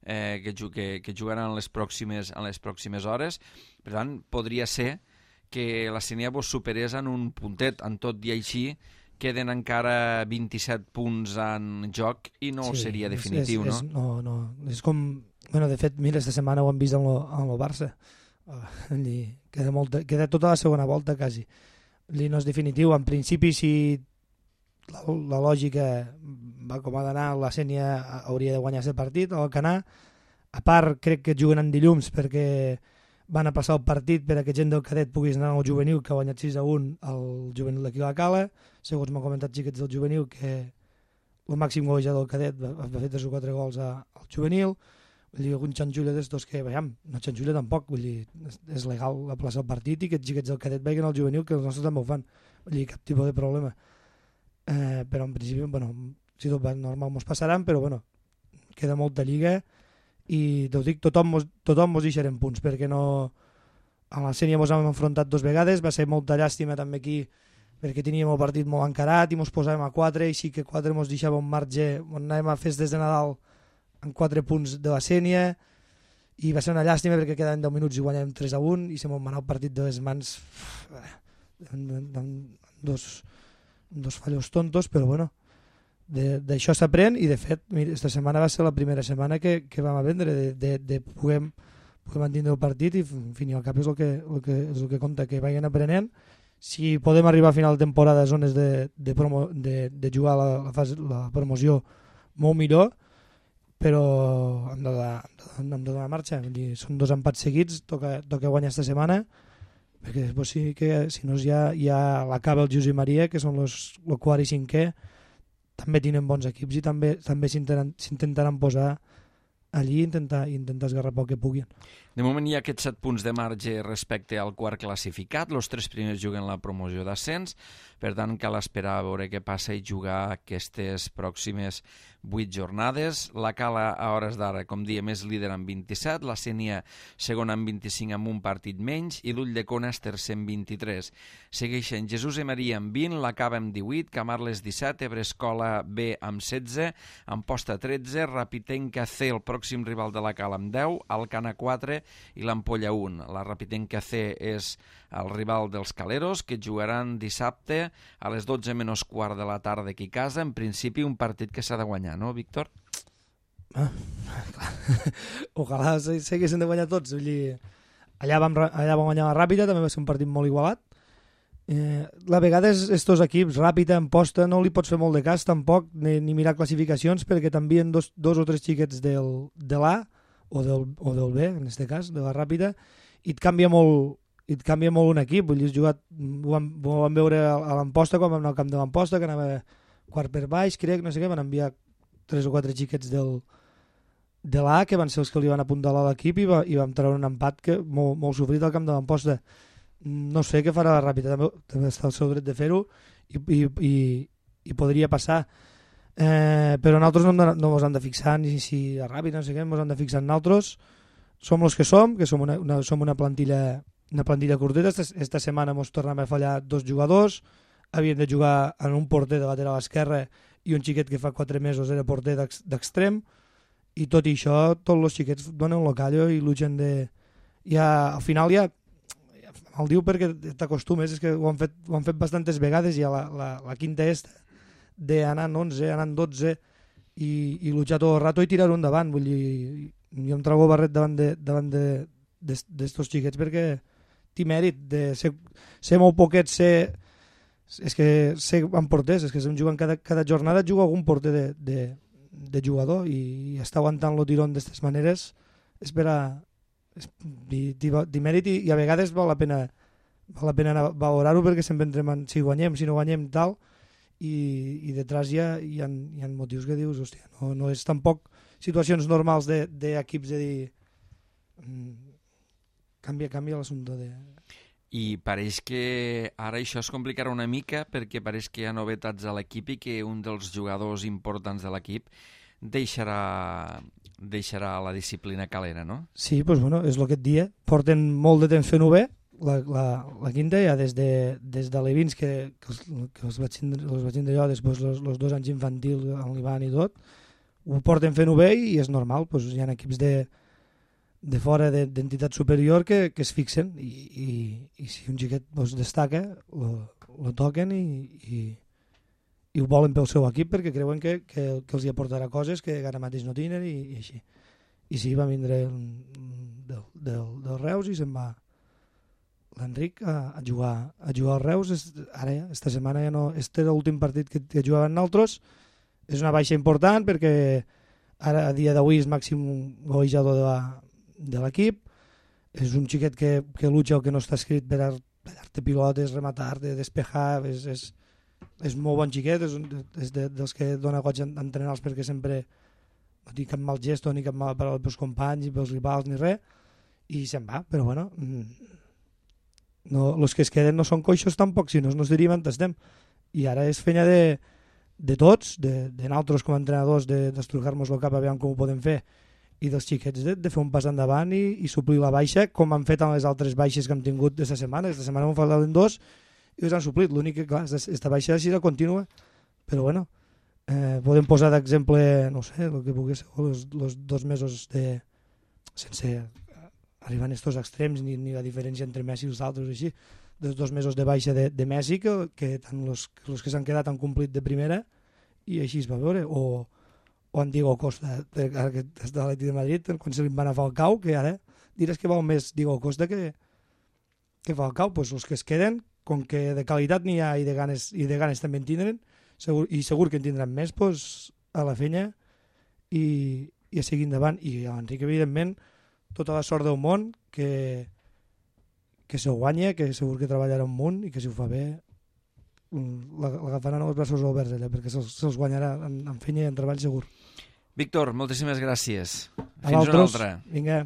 eh, que, que, que jugaran en les, pròximes, en les pròximes hores. Per tant, podria ser que la Sénia vos superés en un puntet. En tot i així, queden encara vint-i-set punts en joc i no sí, seria definitiu, és, és, no? No, no. És com... Bueno, de fet, mira, esta setmana ho hem vist amb el Barça. Uh, queda, molta, queda tota la segona volta, quasi. No és definitiu. En principi, si la, la lògica va com ha d'anar, la Sénia hauria de guanyar aquest partit o el Canà. A part, crec que juguen en dilluns perquè van a passar el partit per a que gent del cadet puguis anar al juvenil, que ha guanyat sis a un al juvenil d'aquí a la Cala. Segons m'han comentat xiquets del juvenil, que el màxim golejador del cadet va, va fer tres o quatre gols a, al juvenil. Vull dir, algun xanxulla d'estos que, veiem, no xanxulla tampoc, vull dir, és, és legal la plaça del partit i que els xiquets del cadet vagin al juvenil, que els nostres també ho fan. Vull dir, cap tipus de problema. Eh, però en principi, bueno, si tot va normal mos passaran, però bueno, queda molta lliga i t'ho dic, tothom mos, tothom mos deixarem punts, perquè no... A la sèrie mos hem enfrontat dues vegades, va ser molta llàstima també aquí, perquè teníem el partit molt encarat i mos posàvem a quatre, i sí que quatre mos deixava un marge on anàvem a festes de Nadal en quatre punts de la sèrie, i va ser una llàstima perquè quedaven deu minuts i guanyàvem tres a un i se m'ho manava el partit de les mans amb dos, dos fallos tontos, però bueno, d'això s'aprèn, i de fet aquesta setmana va ser la primera setmana que, que vam a vendre de, de, de poder, poder mantenir el partit, i en fi, al cap és el que, el que, és el que compta, que vagin aprenent. Si podem arribar a final de temporada a zones de, de, promo, de, de jugar la, la, fase, la promoció, molt millor, però hem de donar, hem de donar marxa. Vull dir, són dos empats seguits, toca, toca guanyar aquesta setmana, perquè després sí que, si no, ja, ja l'acaba el Josep Maria, que són els, el quart i cinquè, també tenen bons equips i també, també s'intentaran posar allí i intentar, intentar esgarrapar el que puguin. De moment hi ha aquests set punts de marge respecte al quart classificat. Els tres primers juguen la promoció d'ascens, per tant cal esperar a veure què passa i jugar aquestes pròximes vuit jornades. La Cala a hores d'ara, com diem, és líder amb vint-i-set, la Sénia segona amb vint-i-cinc amb un partit menys i l'Ulldecona és tercer amb vint-i-tres. Segueixen Jesús i Maria amb vint, la Cava amb divuit, Camarles disset, Ebrescola B amb setze, Amposta tretze, Rapitenca C, el pròxim rival de la Cala amb deu, Alcana quatre i l'Ampolla un. La Rapitenca C és el rival dels Caleros, que jugaran dissabte a les dotze menys quart de la tarda aquí a casa. En principi un partit que s'ha de guanyar, no, Víctor? Ah, clar. Ojalà s'haguessin de guanyar tots. Vull dir, allà, vam, allà vam guanyar la Ràpita, també va ser un partit molt igualat. Eh, la vegada estos equips, Ràpita, Amposta, no li pots fer molt de cas tampoc, ni, ni mirar classificacions, perquè t'envien dos, dos o tres xiquets del, de l'A o del, o del B, en aquest cas, de la Ràpita, i et canvia molt, i et canvia molt un equip. Vull dir, jugat, ho, vam, ho vam veure a l'Amposta, quan vam anar al camp de l'Amposta, que anava quart per baix, crec, no sé què, van enviar tres o quatre xiquets del, de l'A, que van ser els que li van apuntalar a l'equip, i, va, i vam treure un empat que, molt, molt sofrit al camp de l'Amposta. No sé què farà la Ràpita, també, també està al seu dret de fer-ho, i, i, i, i podria passar. Eh, però nosaltres no, no ens hem de fixar ni si a Ràpita, no sé què, ens hem de fixar en nosaltres. Som els que som, que som una, una, som una plantilla una plantilla curteta. Esta, esta setmana ens tornem a fallar dos jugadors, havien de jugar en un porter de lateral esquerre i un xiquet que fa quatre mesos era porter d'extrem, i tot i això tots els xiquets donen un callo i luchen de... Ja, al final ja el diu perquè t'acostumes, és que ho han fet, ho han fet bastantes vegades, ja la, la, la quinta est d'anar en onze, anar en dotze i, i luchar tot el rato i tirar-ho endavant. Vull dir, jo em trobo barret davant de, davant de, d'estos xiquets perquè té mèrit de ser, ser molt poquet, ser, és que ser en porters, és que estem jugant cada, cada jornada juga algun porter de, de, de jugador, i, i està aguantant el tirón d'aquestes maneres és per a té mèrit, i, i a vegades val la pena val la pena valorar-ho, perquè sempre entrem en si guanyem, si no guanyem, tal, i, i detrás hi ha, hi, ha, hi ha motius que dius, hòstia, no, no és tampoc situacions normals d'equips de, de dir mm, canvia, canvia l'assumpte de... I pareix que ara això es complicarà una mica, perquè pareix que hi ha novetats a l'equip i que un dels jugadors importants de l'equip deixarà, deixarà la disciplina calera, no? Sí, doncs bueno, és el que et dia. Porten molt de temps fent-ho bé, la, la, la quinta, ja des de, des de l'Evins, que, que, els, que els vaig tindre, els vaig tindre jo, després els, els dos anys infantils, amb l'Ivan i tot, ho porten fent-ho bé i és normal, doncs hi ha equips de, de fora d'entitat superior que, que es fixen, i, i, i si un xiquet doncs, destaca, lo, lo toquen i, i, i ho volen pel seu equip, perquè creuen que, que, que els hi aportarà coses que ara mateix no tenen, i, i així. I sí, va vindre el, del, del, del Reus i se'n va l'Enric a, a jugar a jugar al Reus. Es, ara ja, esta setmana ja no, este era l'últim partit que, que jugaven nosaltres. És una baixa important perquè ara a dia d'avui és màxim golejador de l'equip, és un xiquet que, que lucha el que no està escrit per tallar-te pilotes, rematar-te, despejar, és, és, és molt bon xiquet, és, un, és de, dels que dona goig entrenars perquè sempre no tinc cap mal gesto ni cap mal per als meus companys, pels rivals ni res, i se'n va, però bueno, no, els que es queden no són coixos tampoc, si no ens diríem on estem. I ara és feina de, de tots, de, de nosaltres com a entrenadors, d'estrucar-nos el cap a veure com ho podem fer, i dels xiquets de, de fer un pas endavant i, i suplir la baixa, com han fet amb les altres baixes que hem tingut d'aquesta setmana. Aquesta setmana hem faltat en dos i els han suplit. L'únic que, clar, aquesta baixa així la continua, però bueno, eh, podem posar d'exemple, no sé, el que pugui ser, els, els dos mesos de... sense arribar a estos extrems ni, ni la diferència entre Messi i els altres, així, dels dos mesos de baixa de, de Messi, que, que tant els, els que s'han quedat han complit de primera, i així es va veure, o, o en Diego Costa, de, ara que està a l'Atlètic de Madrid, quan se li van a Falcao, que ara diràs que val més Diego Costa que, que Falcao, doncs els que es queden, com que de qualitat n'hi ha i de ganes, i de ganes també en tindran, segur, i segur que en tindran més, doncs a la feina i, i a seguir endavant. I a l'Enric, evidentment, tota la sort del món, que, que se guanya, que segur que treballarà un munt i que si ho fa bé l'agafaran als braços oberts allà, perquè se'ls se guanyarà en, en feina i en treball segur. Víctor, moltíssimes gràcies. A Fins una altra. Vinga.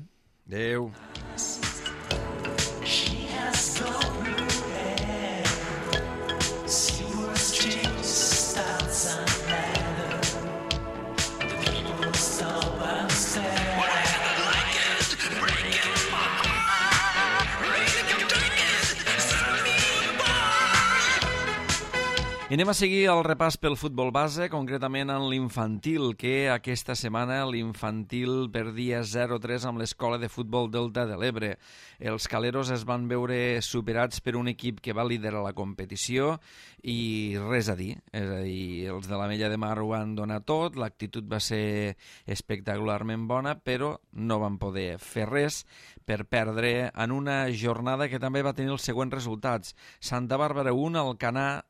Adéu. I anem a seguir el repàs pel futbol base, concretament en l'infantil, que aquesta setmana l'infantil perdia zero a tres amb l'Escola de Futbol Delta de l'Ebre. Els caleros es van veure superats per un equip que va liderar la competició i res a dir. És a dir, els de l'Ametlla de Mar ho van donar tot, l'actitud va ser espectacularment bona, però no van poder fer res per perdre en una jornada que també va tenir els següents resultats. Santa Bàrbara un, Alcanar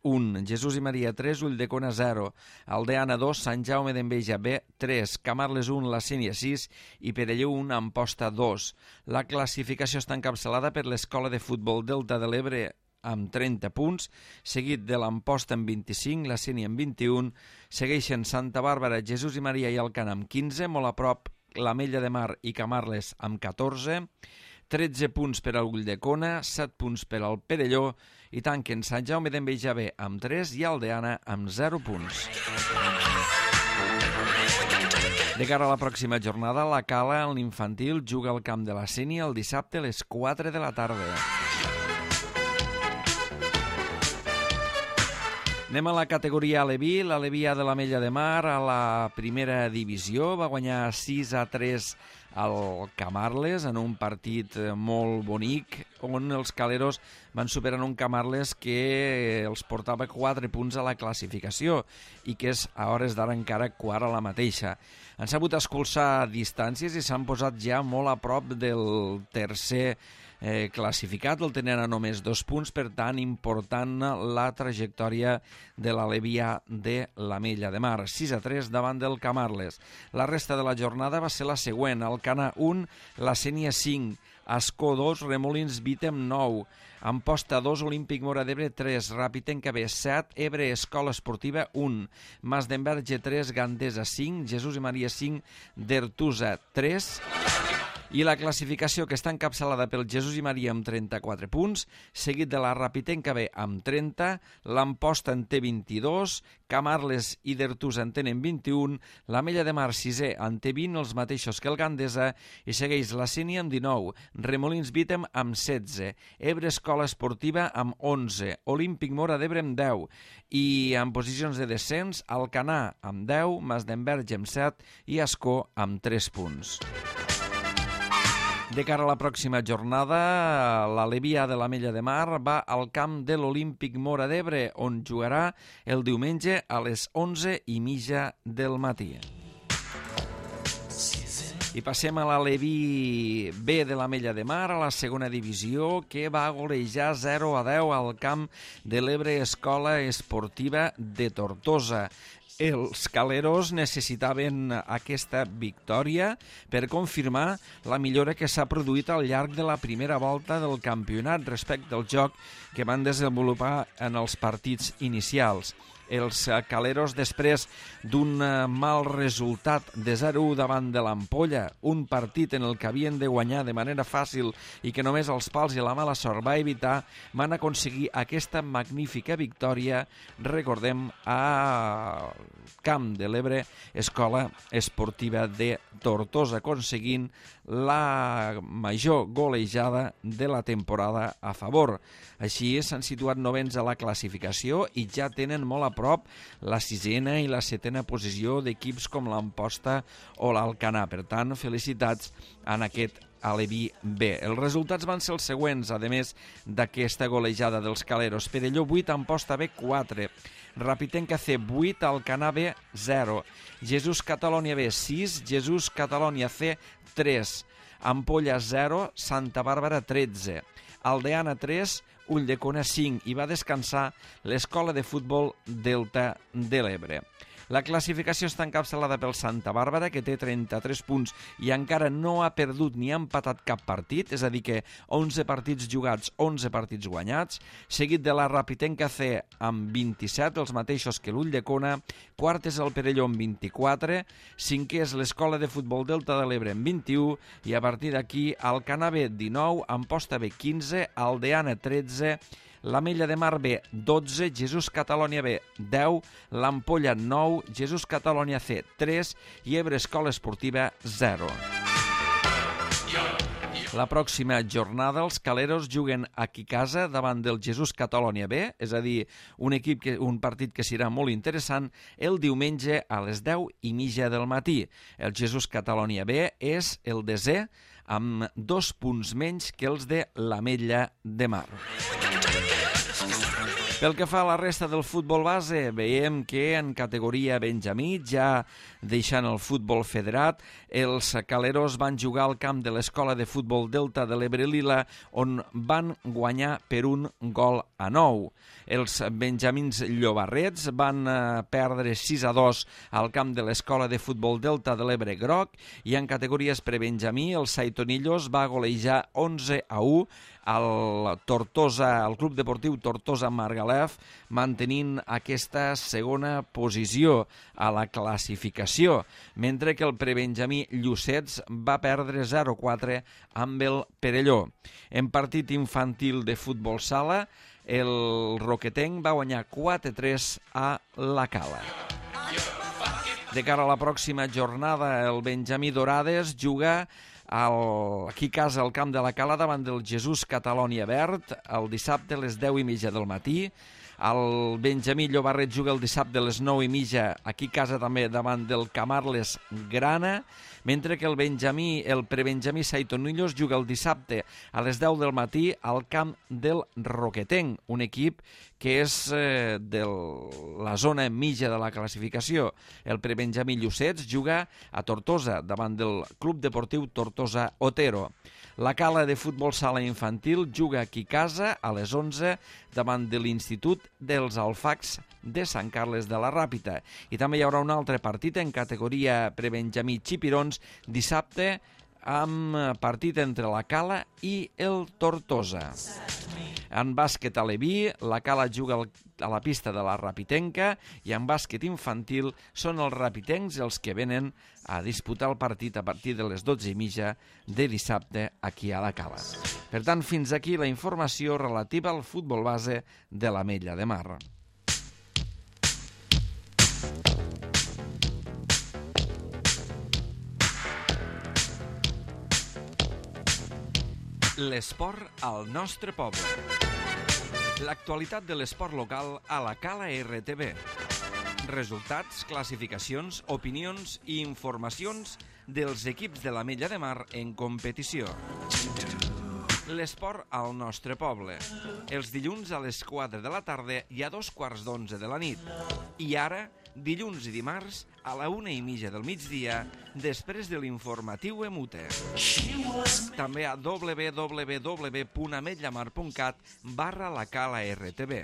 un, Jesús i Maria tres, Ulldecona zero, Aldeana dos, Sant Jaume d'Enveja B tres, Camarles un, La Sénia sis i Perelló un, Amposta dos. La classificació està encapçalada per l'Escola de Futbol Delta de l'Ebre amb trenta punts, seguit de l'Amposta amb vint-i-cinc, La Sénia amb vint-i-un, segueixen Santa Bàrbara, Jesús i Maria i Alcanar amb quinze, molt a prop l'Ametlla de Mar i Camarles amb catorze, tretze punts per al Ulldecona, set punts per al Perelló i tanquen Sant Jaume d'Enveja B amb tres i Aldeana amb zero punts. De cara a la pròxima jornada, la Cala en l'infantil juga al camp de la Sénia el dissabte a les quatre de la tarda. Anem a la categoria Aleví. L'Aleví de l'Ametlla de Mar a la primera divisió va guanyar sis a tres al Camarles en un partit molt bonic on els caleros van superar un Camarles que els portava quatre punts a la classificació i que és a hores d'ara encara quart a la mateixa. Han sabut escurçar distàncies i s'han posat ja molt a prop del tercer Eh, classificat, el tenen a només dos punts, per tant important la trajectòria de l'Alevià de l'Ametlla de Mar, sis a tres davant del Camarles. La resta de la jornada va ser la següent: Alcanar un, La Sénia cinc, Ascó dos, Remolins Vítem nou, Amposta dos, Olímpic Móra d'Ebre tres, Ràpitenca B set, Ebre Escola Esportiva un, Mas d'Enverge tres, Gandesa cinc, Jesús i Maria cinc, Dertusa tres. I la classificació, que està encapçalada pel Jesús i Maria amb trenta-quatre punts, seguit de la Ràpitenca B amb trenta, l'Amposta en té vint-i-dos, Camarles i Dertusa en tenen vint-i-un, l'Ametlla de Mar sisè en té vint, els mateixos que el Gandesa, i segueix la Sénia amb dinou, Remolins Vítem amb setze, Ebre Escola Esportiva amb onze, Olímpic Móra d'Ebre amb deu, i en posicions de descens, Alcanar amb deu, Mas d'Enverge amb set i Ascó amb tres punts. De cara a la pròxima jornada, l'Alevià de l'Ametlla de Mar va al camp de l'Olímpic Móra d'Ebre, on jugarà el diumenge a les onze i mitja del matí. I passem a l'Aleví B de l'Ametlla de Mar, a la segona divisió, que va golejar zero a deu al camp de l'Ebre Escola Esportiva de Tortosa. Els caleros necessitaven aquesta victòria per confirmar la millora que s'ha produït al llarg de la primera volta del campionat respecte al joc que van desenvolupar en els partits inicials. Els caleros, després d'un mal resultat de zero a u davant de l'Ampolla, un partit en el que havien de guanyar de manera fàcil i que només els pals i la mala sort va evitar, van aconseguir aquesta magnífica victòria, recordem, a Camp de l'Ebre, Escola Esportiva de Tortosa, aconseguint la major golejada de la temporada a favor. Així s'han situat novens a la classificació i ja tenen molt a prop la sisena i la setena posició d'equips com l'Amposta o l'Alcanar. Per tant, felicitats en aquest Aleví B. Els resultats van ser els següents, a més d'aquesta golejada dels caleros. Perelló vuit, Amposta B quatre, Rapitenca C vuit, Alcanar B zero, Jesús Catalònia B sis, Jesús Catalònia C tres, Ampolla zero, Santa Bàrbara tretze, Aldeana tres, Ulldecona cinc, i va descansar l'Escola de Futbol Delta de l'Ebre. La classificació està encapçalada pel Santa Bàrbara, que té trenta-tres punts i encara no ha perdut ni ha empatat cap partit, és a dir que onze partits jugats, onze partits guanyats, seguit de la Rapitenca C amb vint-i-set, els mateixos que l'Ulldecona, quart és el Perelló amb vint-i-quatre, cinquè és l'Escola de Futbol Delta de l'Ebre amb vint-i-u, i a partir d'aquí Alcanar B dinou, Amposta B quinze, Aldeana tretze, l'Ametlla de Mar B dotze, Jesús Catalònia B deu, l'Ampolla nou, Jesús Catalònia C tres i Ebre Escola Esportiva zero. La pròxima jornada els caleros juguen aquí a casa davant del Jesús Catalònia B, és a dir, un, equip que, un partit que serà molt interessant, el diumenge a les deu i mitja del matí. El Jesús Catalònia B és el desè amb dos punts menys que els de l'Ametlla de Mar. Pel que fa a la resta del futbol base, veiem que en categoria Benjamí, ja deixant el futbol federat, els caleros van jugar al camp de l'Escola de Futbol Delta de l'Ebre Lila, on van guanyar per un gol a nou. Els benjamins llobarrets van perdre sis a dos al camp de l'Escola de Futbol Delta de l'Ebre Groc, i en categories prebenjamí, el Saitonillos va golejar onze a u al Tortosa, al Club Deportiu Tortosa Margalef, mantenint aquesta segona posició a la classificació, mentre que el prebenjamí Llucets va perdre zero a quatre amb el Perelló. En partit infantil de futbol sala, el Roquetenc va guanyar quatre a tres a la Cala. De cara a la pròxima jornada, el Benjamí Dorades juga El, aquí a casa al camp de la Cala davant del Jesús Catalònia Verd el dissabte a les deu i mitja del matí. El Benjamí Llobarret juga el dissabte a les nou i mitja aquí a casa també davant del Camarles Grana, mentre que el Benjamí, el prebenjamí Saitonillos juga el dissabte a les deu del matí al camp del Roquetenc, un equip que és eh, de la zona mitja de la classificació. El prebenjamí Llucets juga a Tortosa davant del Club Deportiu Tortosa Otero. La Cala de futbol sala infantil juga aquí a casa a les onze davant de l'Institut dels Alfacs de Sant Carles de la Ràpita. I també hi haurà un altre partit en categoria prebenjamí Xipirons dissabte amb partit entre la Cala i el Tortosa. En bàsquet aleví, la Cala juga a la pista de la Rapitenca, i en bàsquet infantil són els rapitencs els que venen a disputar el partit a partir de les dotze i mitja de dissabte aquí a la Cala. Per tant, fins aquí la informació relativa al futbol base de l'Ametlla de Mar. L'esport al nostre poble. L'actualitat de l'esport local a la Cala R T V. Resultats, classificacions, opinions i informacions dels equips de l'Ametlla de Mar en competició. L'esport al nostre poble. Els dilluns a les quatre de la tarda i a dos quarts d'onze de la nit. I ara, dilluns i dimarts, a la una i mitja del migdia, després de l'informatiu Emute. També a w w w punt ametllamar punt cat barra la Cala R T V.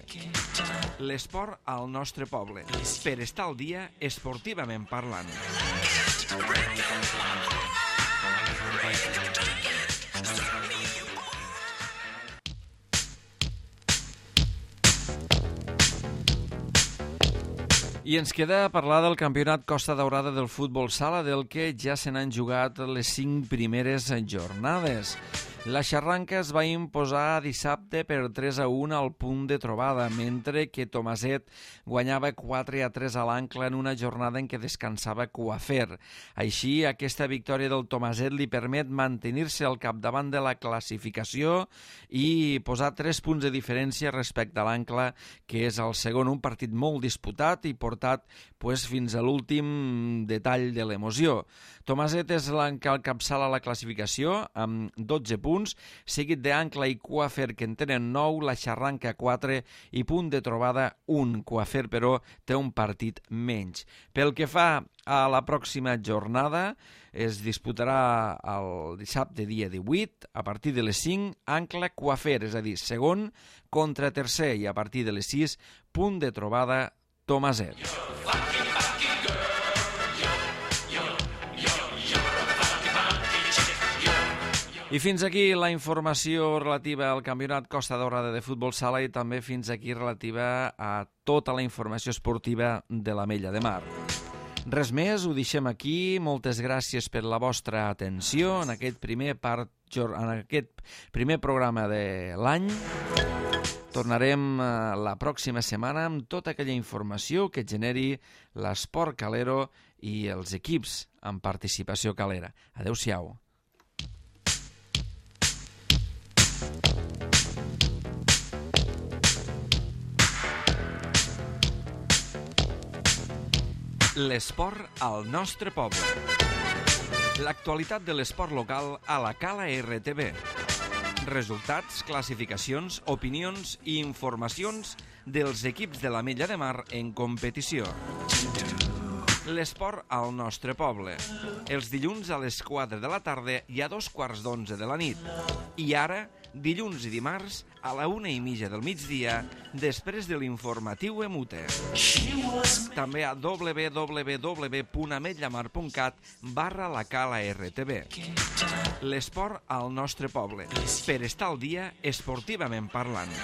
L'esport al nostre poble. Per estar al dia, esportivament parlant. I ens queda parlar del campionat Costa Daurada del futbol sala, del que ja se n'han jugat les cinc primeres jornades. La Xarranca es va imposar dissabte per tres a un al punt de trobada, mentre que Tomaset guanyava quatre a tres a l'Ancla en una jornada en què descansava Coafer. Així, aquesta victòria del Tomaset li permet mantenir-se al capdavant de la classificació i posar tres punts de diferència respecte a l'Ancla, que és el segon, un partit molt disputat i portat pues, fins a l'últim detall de l'emoció. Tomaset és l'encapçala la classificació amb dotze punts, seguit d'Ancla i Coafer, que en tenen nou, la Xarranca quatre i punt de trobada un. Coafer, però, té un partit menys. Pel que fa a la pròxima jornada, es disputarà el dissabte dia divuit, a partir de les cinc, Ancla Coafer, és a dir, segon contra tercer, i a partir de les sis, punt de trobada Tomaset. I fins aquí la informació relativa al Campionat Costa Daurada de futbol sala i també fins aquí relativa a tota la informació esportiva de l'Ametlla de Mar. Res més, ho deixem aquí. Moltes gràcies per la vostra atenció en aquest primer, part, en aquest primer programa de l'any. Tornarem la pròxima setmana amb tota aquella informació que generi l'esport calero i els equips amb participació calera. Adéu-siau. L'esport al nostre poble. L'actualitat de l'esport local a la Cala R T V. Resultats, classificacions, opinions i informacions dels equips de l'Ametlla de Mar en competició. L'esport al nostre poble. Els dilluns a les quatre de la tarda i a dos quarts d'onze de la nit. I ara, dilluns i dimarts, a la una i mitja del migdia, després de l'informatiu Emute. També a w w w punt ametllamar punt cat barra la Cala R T V. L'esport al nostre poble, per estar al dia esportivament parlant.